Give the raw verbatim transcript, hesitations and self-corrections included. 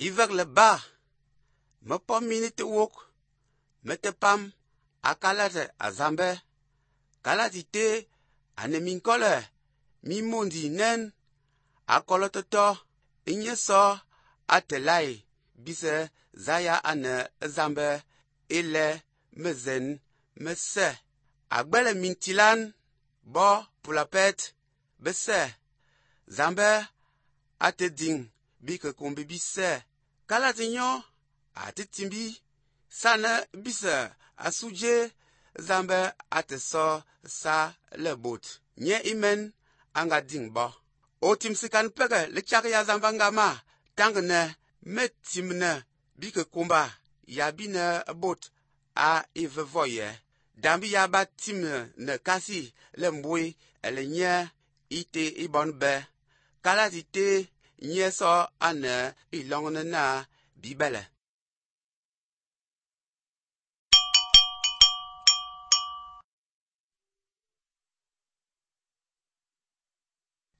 Ivɛglɛ ba me pɔ mini te wok me te pam a kalate a Zambɛ. Kalate ite ane minkɔlɛ mi mondi nɛn a kɔlɔtɔtɔ nye sɔ a te lai bisɛ zaya ane Zambɛ ilɛ mezen mesɛ. Agbɛlɛ mintilan bɔ pulapɛt besɛ Zambɛ a te diŋ bi kekombe bisɛ. Kalate nyɔ a te timbi sanɛ bisɛ asudze Zambɛ a te sɔ sa lɛ bot nye imɛn a nga diŋ bɔ. Otimsikan pɛgɛ le tsak ya Zambɛ ngama tange nɛ metimnɛ bi kekomba ya bi nɛ bot a ivevɔ yɛ. Dambi ya ba timnɛ nɛ kasi lɛ mbwe ɛlɛ nyɛ ite ibɔn bɛ. Kalate ite nye sɔ anɛ ilɔŋnɛ na bibɛlɛ.